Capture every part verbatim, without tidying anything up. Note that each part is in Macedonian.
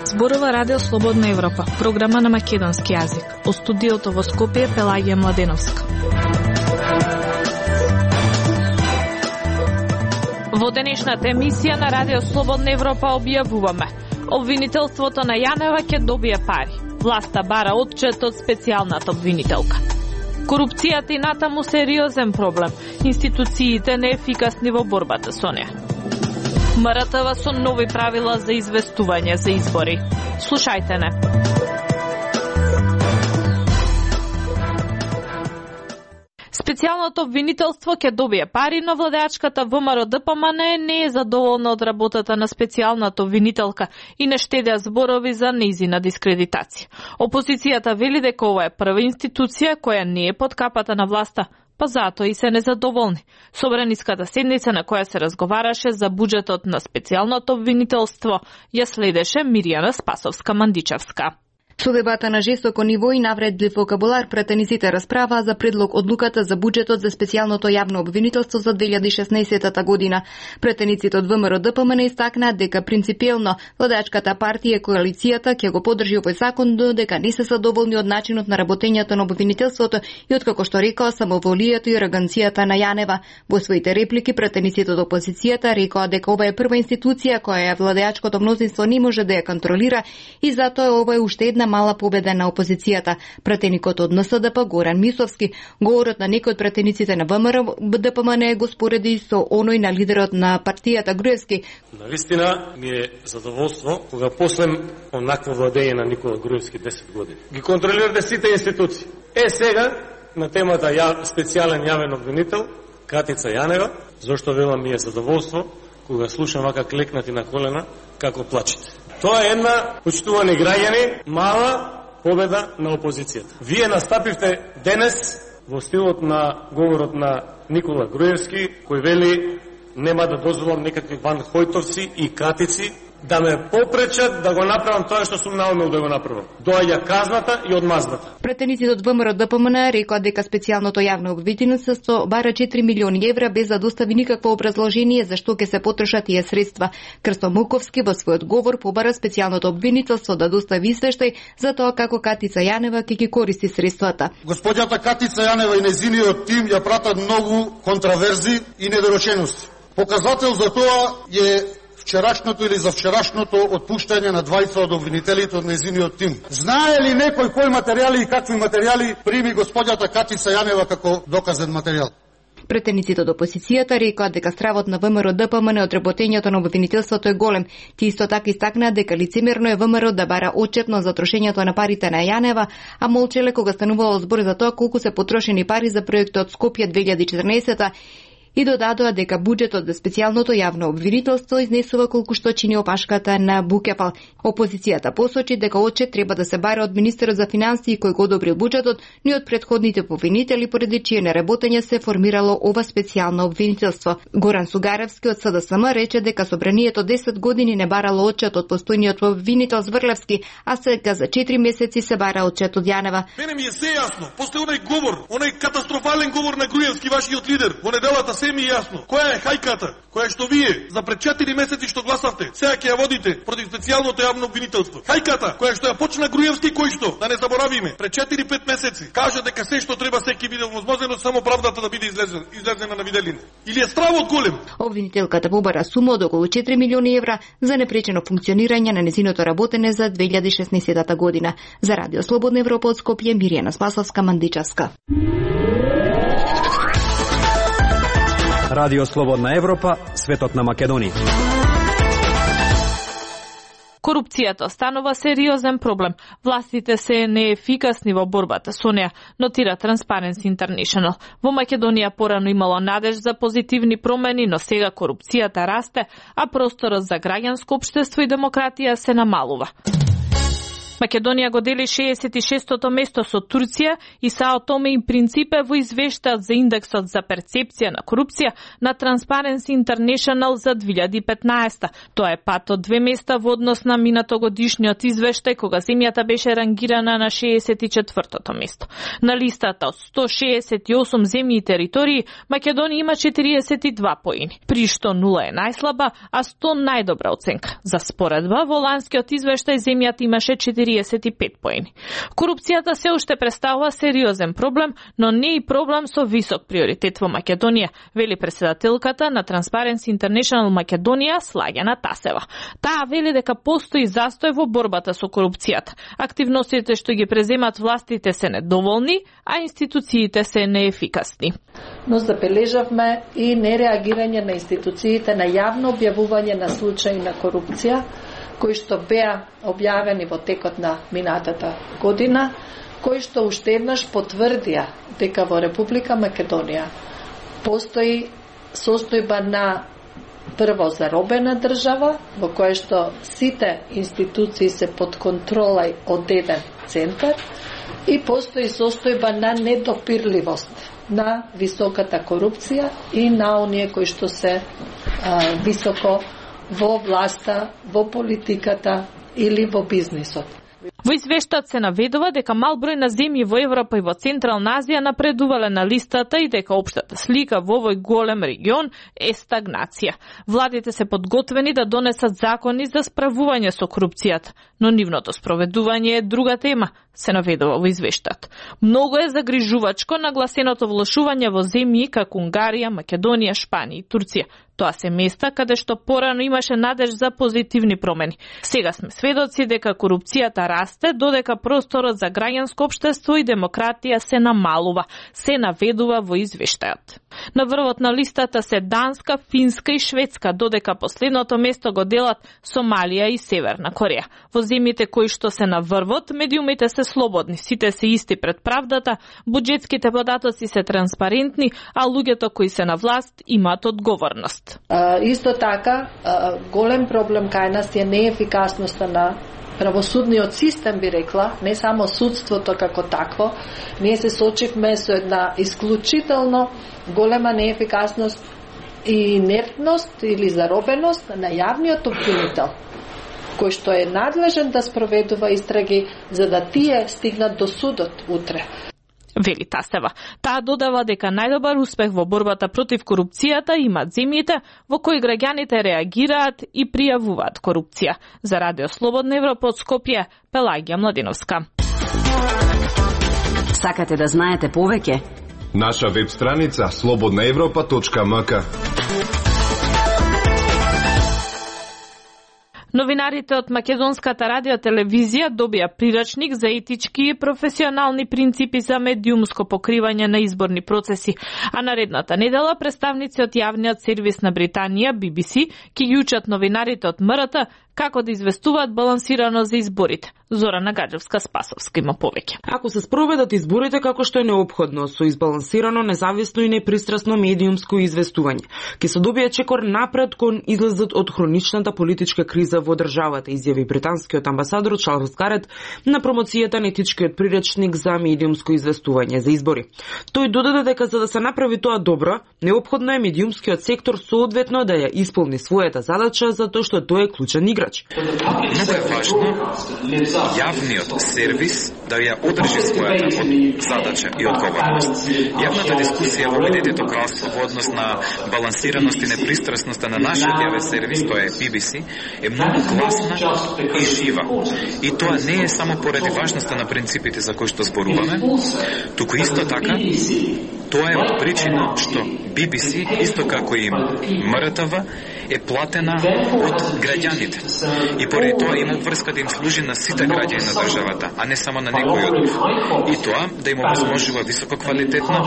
Зборува Радио Слободна Европа, програма на македонски јазик. Во студиото во Скопје Пелагија Младеновска. Во денешната емисија на Радио Слободна Европа објавуваме: обвинителството на Јанева ќе добие пари. Власта бара отчет од специјалната обвинителка. Корупцијата и натаму сериозен проблем. Институциите неефикасни во борбата со неа. М Р Т В со нови правила за известување за избори. Слушајте не. Специјалното обвинителство ќе добие пари, но владеачката В М Р Д П М Н не е задоволна од работата на специјалната обвинителка и не штедеа зборови за нејзина дискредитација. Опозицијата вели дека ова е прва институција која не е под капата на власта, па затоа и се незадоволни. Собраниската седница на која се разговараше за буџетот на специјалното обвинителство ја следеше Мирјана Спасовска-Мандичевска. Со дебата на жестоко ниво и навредлив вокабулар, претениците расправаа за предлог одлуката за буџетот за специјалното јавно обвинителство за две илјади и шеснаесетта година. Претениците од В М Р Д П М Н истакнаа дека принципиелно владеачката партија и коалицијата ќе го поддржи овој закон, додека не се задоволни од начинот на работењето на обвинителството и откако што рекоа самоволијето и ароганцијата на Јанева. Во своите реплики претениците од опозицијата рекоа дека ова е прва институција која владеачкото мнозинство не може да ја контролира и затоа ова е уште една мала победа на опозицијата. Пратеникот од Н С Д П Горан Мисовски, говорот на некој од пратениците на В М Р Д П М Н го спореди со оној на лидерот на партијата Груевски. Навистина ми е задоволство кога после онакво владење на Никола Груевски десет години ги контролирате сите институции. Е сега на темата ја, специјален јавен обвинител Катица Јанева, зашто велам ми е задоволство кога слушам вака клекнати на колена како плачете. Тоа е една, почитувани граѓани, мала победа на опозицијата. Вие настапивте денес во стилот на говорот на Никола Груевски, кој вели нема да дозволам некакви Ван Хојтовци и Катици да ме попречат да го направам тоа што сум наумел да го направам. Доаѓа казната и одмазната. Претениците од В М Р Д П М Н рекоа дека специјалното јавно обвинителство бара четири милиони евра без да достави никакво образложение за што ќе се потрошат тие средства. Крсто Муковски во својот говор побара специјалното обвинителство да достави извештај за тоа како Катица Јанева ќе ги користи средствата. Господјата Катица Јанева и нејзиниот тим ја пратат многу контраверзи и недоречености. Показател за тоа е вчерашното или за вчерашното отпуштање на двајца од обвинителите од нејзиниот тим. Знае ли некој кои материјали и какви материјали прими господјата Катица Јанева како доказен материјал? Претениците од опозицијата рекоа дека стравот на В М Р Д П М Н од работењето на обвинителството е голем. Ти исто така истакнаа дека лицемерно е В М Р да бара отчетно за трошењето на парите на Јанева, а молчеле кога станувало збор за тоа колку се потрошени пари за проектот Скопје две илјади и четрнаесетта и додадоа дека буџетот за специјалното јавно обвинителство изнесува колку што чини опашката на Букепал. Опозицијата посочи дека отчет треба да се бара од министерот за финансии кој го одобрил буџетот, но и од претходните обвинители поради чие неработење се формирало ова специјално обвинителство. Горан Сугаревски од С Д С М рече дека собранието десет години не барало отчет од постојниот обвинител Зврлевски, а сега за четири месеци се бара отчет од Јанева. Мене ми е се јасно, после оној говор, оној катастрофален говор на Груевски, вашиот лидер, во неделата се ми е јасно. Која е хајката, која што вие за пред четири месеци што гласавте, сега ќе ја водите против специјалното јавно обвинителство. Хајката која што ја почна Груевски, кој што, да не заборавиме, пред четири-пет месеци кажа дека се што треба секи биде возможно, само правдата да биде излезена, излезена на виделина. Или е стравот голем? Обвинителката побара сума од околу четири милиони евра за непречено функционирање на незиното работење за две илјади и шеснаесетта година. За Радио Слободна Европа од Скопје, Мирјана Спасовска-Мандичевска. Радио Слободна Европа, светот на Македонија. Корупцијата станува сериозен проблем. Властите се неефикасни во борбата со неа, нотира Transparency International. Во Македонија порано имало надеж за позитивни промени, но сега корупцијата расте, а просторот за граѓанско општество и демократија се намалува. Македонија го дели шеесет и шестото место со Турција и Сао Томе и Принципе во извештаат за индексот за перцепција на корупција на Transparency International за две илјади и петнаесета. Тоа е пат од две места во однос на минатогодишниот извештај кога земјата беше рангирана на шеесет и четвртото место. На листата од сто шеесет и осум земји и територии, Македонија има четириесет и два поени, при што нула е најслаба, а сто најдобра оценка. За споредба, во ланскиот извештај земјата имаше четириесет и пет поени. Корупцијата се уште представува сериозен проблем, но не и проблем со висок приоритет во Македонија, вели претседателката на Transparency International Македонија Слагјана Тасева. Таа вели дека постои застој во борбата со корупцијата. Активностите што ги преземат властите се недоволни, а институциите се неефикасни. Но забележавме и нереагирање на институциите на јавно објавување на случаи на корупција, кои што беа објавени во текот на минатата година, кои што уште еднаш потврдија дека во Република Македонија постои состојба на прво заробена држава, во која што сите институции се под контрола од еден центар, и постои состојба на недопирливост на високата корупција и на оние кои што се а, високо во власта, во политиката или во бизнисот. Во извештајот се наведува дека мал број на земји во Европа и во Централна Азија напредувале на листата и дека општата слика во овој голем регион е стагнација. Владите се подготвени да донесат закони за справување со корупцијата, но нивното спроведување е друга тема, се наведува во извештајот. Многу е загрижувачко нагласеното влошување во земји како Унгарија, Македонија, Шпанија и Турција. Тоа се места каде што порано имаше надеж за позитивни промени. Сега сме сведоци дека корупцијата расте, додека просторот за граѓанско општество и демократија се намалува, се наведува во извештајот. На врвот на листата се Данска, Финска и Шведска, додека последното место го делат Сомалија и Северна Кореја. Во земјите кои што се на врвот, медиумите се слободни, сите се исти пред правдата, буџетските податоци се транспарентни, а луѓето кои се на власт имаат одговорност. А, исто така, а, голем проблем кај нас е неефикасноста на правосудниот систем, би рекла, не само судството како такво. Ние се сочивме со една исклучително голема неефикасност и инертност или заробеност на јавниот обвинител, кој што е надлежен да спроведува истраги за да тие стигнат до судот утре. Вели Тасева. Таа додава дека најдобар успех во борбата против корупцијата имаат земјите во кои граѓаните реагираат и пријавуваат корупција. За Радио Слободна Европа од Скопје, Пелагија Младиновска. Сакате да знаете повеќе? Наша веб страница слободна европа точка ем ка. Новинарите од Македонската радио телевизија добија прирачник за етички и професионални принципи за медиумско покривање на изборни процеси, а наредната недела представници од јавниот сервис на Британија Би Би Си ќе ги учат новинарите од М Р Т како да известуваат балансирано за изборите. Зорана Гаджевска-Спасовска има повеќе. Ако се спроведат изборите како што е неопходно, со избалансирано, независно и непристрасно медиумско известување, ќе се добие чекор напред кон излезот од хроничната политичка криза во државата, изјави британскиот амбасадор Чарлс Гарет на промоцијата на етичкиот приречник за медиумско известување за избори. Тој додаде дека за да се направи тоа добро, неопходно е медиумскиот сектор соодветно да ја исполни својата задача, затоа што тој е клучен играч. Многу е важно јавниот сервис да ја одржи својата задача и одговорност. Јавната дискусија во Обединетото кралство во однос на балансираност и непристрасност на нашиот јавен сервис, тоа е Би Би Си, е многу гласна и жива. И тоа не е само поради важноста на принципите за кои што зборуваме, туку исто така тоа е од причина што Би Би Си, исто како и М Р Т В, е платена од граѓаните. И поради тоа има врска да им служи на сите граѓани на државата, а не само на некој од нив. И тоа да им овозможува високо квалитетно,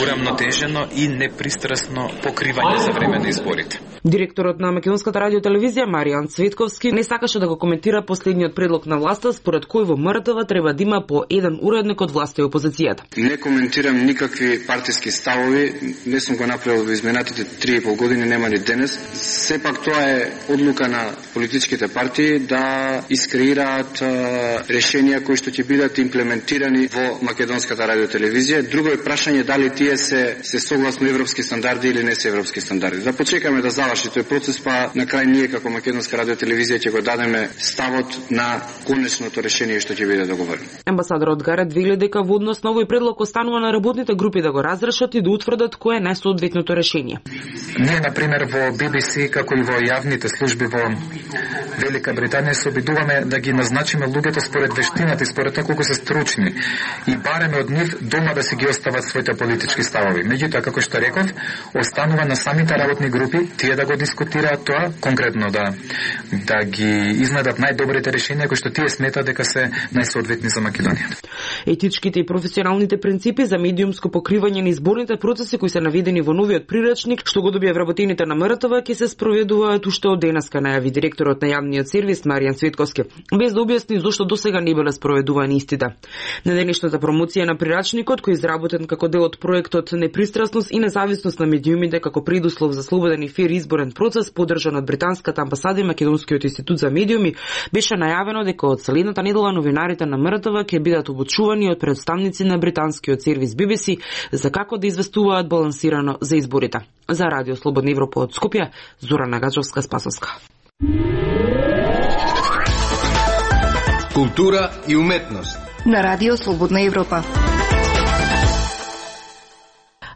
урамнотежено и непристрасно покривање за време на изборите. Директорот на Македонската радио телевизија Маријан Цветковски не сакаше да го коментира последниот предлог на власта според кој во М Р Т В треба да има по еден уредник од власта и опозицијата. Не коментирам никакви партии партиски ставови, не сум го направил во изминатите три и пол години, нема ни денес. Сепак тоа е одлука на политичките партии да искреираат решенија кои што ќе бидат имплементирани во македонската радиотелевизија. Друго е прашање дали тие се се согласно европски стандарди или не се европски стандарди. Да почекаме да заврши тој процес, па на крај ние како македонска радиотелевизија ќе го дадеме ставот на конечното решение што ќе биде договорено. Амбасадорот Гарет вели дека во однос на овој предлог останува на работните групи да го разрешат и да утврдат кое е најсоодветното решение. Ние, например, во Би Би Си, како и во јавните служби во Велика Британија, се обидуваме да ги назначиме луѓето според вештината и според тоа колку се стручни и бареме од нив дома да си ги остават своите политички ставови. Меѓутоа, како што реков, останува на самите работни групи тие да го дискутираат тоа, конкретно да да ги изнадат најдобрите решенија кои што тие сметаат дека се најсоодветни за Македонија. Етичките и професионалните принципи за медиумско покривање на изборните процеси кои се наведени во новиот прирачник што го добија вработените на МРТВ ќе се спроведуваат уште од денеска, најави директорот на јавниот сервис Маријан Цветковски, без да објасни зошто досега не биле спроведувани истите. На денешната промоција на прирачникот, кој е изработен како дел од проектот Непристрасност и независност на медиумите како предуслов за слободен и фер изборен процес, поддржан од британската амбасада и Македонскиот институт за медиуми, беше најавено дека од следната недела новинарите на МРТВ ќе бидат обучувани од представници на британскиот сервис Би Би Си за како да известуваат балансирано за изборите. За Радио Слободна Европа од Скопје, Зорана Гаджовска-Спасовска. Култура и уметност на Радио Слободна Европа.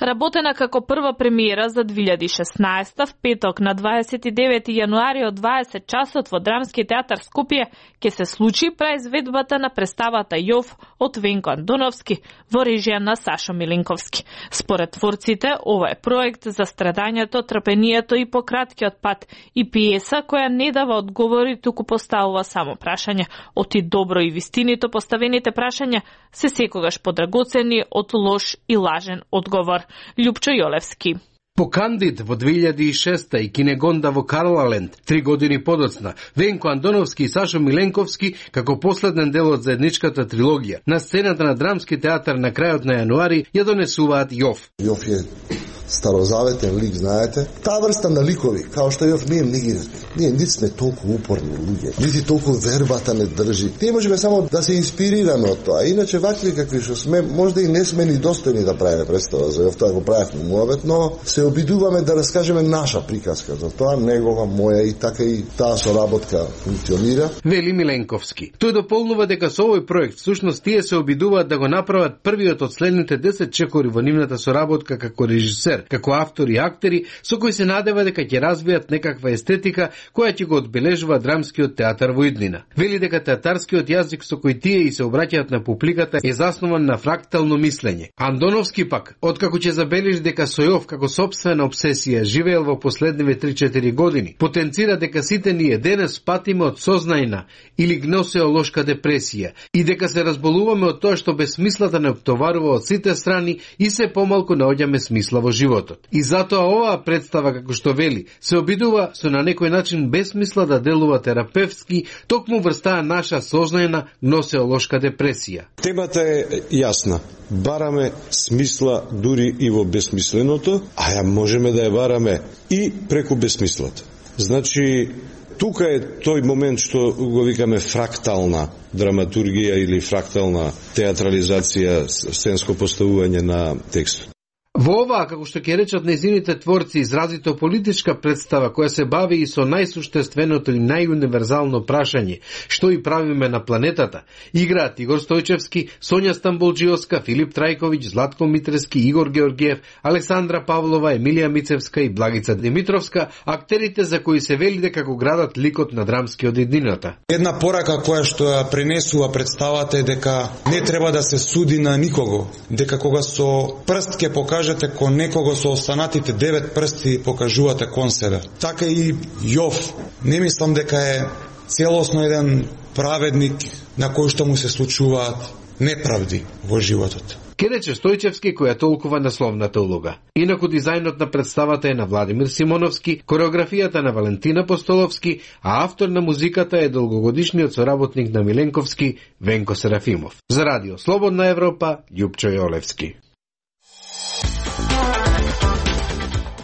Работена како прва премиера за две илјади и шеснаесета, в петок на дваесет и девети јануари од дваесет часот во Драмски театар Скопје ќе се случи преизведбата на представата Јов од Венко Андоновски во режија на Сашо Миленковски. Според творците, ова е проект за страдањето, трпението и пократкиот пат и пиеса која не дава одговори, туку поставува само прашања. Оти добро и вистинито поставените прашања се секогаш подрагоцени од лош и лажен одговор. Љупчо Јолевски. По Кандид во две илјади и шеста и Кинегонда во Карлаленд, три години подоцна, Венко Андоновски и Сашо Миленковски, како последен дел од заедничката трилогија, на сцената на Драмски театар на крајот на јануари ја донесуваат Јов. Јов е старозаветен лик, знаете. Таа врста на ликови, као што Јов ние не ги разбираме. Ние нити сме толку упорни луѓе, нити толку вербата не држи. Ние можеме само да се инспирираме од тоа. Иначе вакви какви што сме, можда и не сме ни достојни да правиме представа за Јов, тоа го правевме муавет, но се обидуваме да раскажеме наша приказка за тоа, негова, моја и така и таа соработка функционира. Вели Миленковски. Тој дополнува дека со овој проект всушност тие се обидуваат да го направат првиот од следните десет чекори во нивната соработка како режисер, како автори и актери, со кои се надева дека ќе развијат некаква естетика која ќе го одбележува Драмскиот театар во иднина. Вели дека театарскиот јазик со кој тие и се обраќаат на публиката е заснован на фрактално мислење. Андоновски пак, откако ќе забележи дека со Јов како сопствена обсесија живеел во последниве три-четири години, потенцира дека сите ние денес патиме од сознајна или гносеолошка депресија и дека се разболуваме од тоа што безсмислата не оптоварува од сите страни и се помалку наоѓаме смисла во животот. И затоа оваа представа, како што вели, се обидува со на некој начин безсмисла да делува терапевтски, токму врз таа наша сознајна гносеолошка депресија. Темата е јасна. Бараме смисла дури и во безсмисленото, а ја можеме да ја бараме и преку безсмислата. Значи, тука е тој момент што го викаме фрактална драматургија или фрактална театрализација, сценско поставување на текстот. Во оваа, како што ќе речат нејзините творци, изразито политичка представа која се бави и со најсуштественото и најуниверзално прашање, што и правиме на планетата, играат Игор Стојчевски, Сонја Стамболџиоска, Филип Трајковиќ, Златко Митрески, Игор Георгиев, Александра Павлова, Емилија Мицевска и Благица Димитровска, актерите за кои се вели дека го градат ликот на драмскиот иднината. Една порака која што ја пренесува представата е дека не треба да се суди на никого, дека кога со прст ќе покажете кон некого со останатите девет прсти покажувате кон себе. Така и Јов. Не мислам дека е целосно еден праведник на кој што му се случуваат неправди во животот. Ке рече Стојчевски која толкува насловната улога. Инаку дизајнот на представата е на Владимир Симоновски, кореографијата на Валентина Постоловски, а автор на музиката е долгогодишниот соработник на Миленковски Венко Серафимов. За Радио Слободна Европа, Љупчо Јолевски.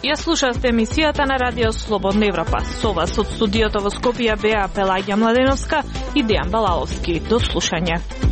Ја слушавте емисијата на Радио Слободна Европа. Со вас од студиото во Скопје беа Пелагија Младеновска и Дејан Балаловски. До слушање.